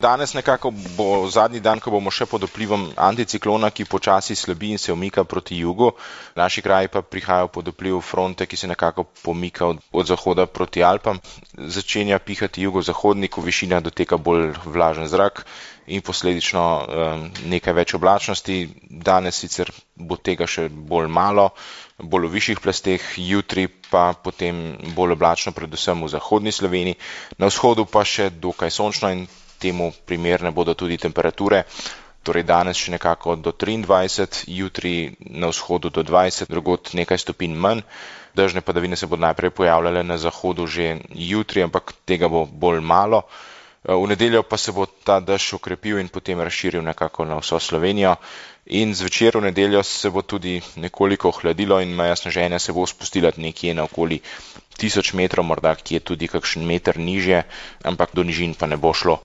Danes nekako bo zadnji dan, ko bomo še pod vplivom anticiklona, ki počasi slabi in se umika proti jugu. Naši kraji pa prihajajo pod vpliv fronte, ki se nekako pomika od zahoda proti Alpam. Začenja pihati jugozahodnik, v višinah doteka bolj vlažen zrak in posledično nekaj več oblačnosti. Danes sicer bo tega še bolj malo, bolj v višjih plasteh, jutri pa potem bolj oblačno, predvsem v zahodni Sloveniji. Na vzhodu pa še dokaj sončno in temu primerne bodo tudi temperature, torej danes še nekako do 23, jutri na vzhodu do 20, drugod nekaj stopinj manj. Dežne padavine se bodo najprej pojavljale na zahodu že jutri, ampak tega bo bolj malo. V nedeljo pa se bo ta dež okrepil in potem razširil nekako na vso Slovenijo. In zvečer v nedeljo se bo tudi nekoliko ohladilo in meja sneženja se bo spustila nekje na okoli 1000 metrov, morda kje tudi kakšen meter nižje, ampak do nižin pa ne bo šlo.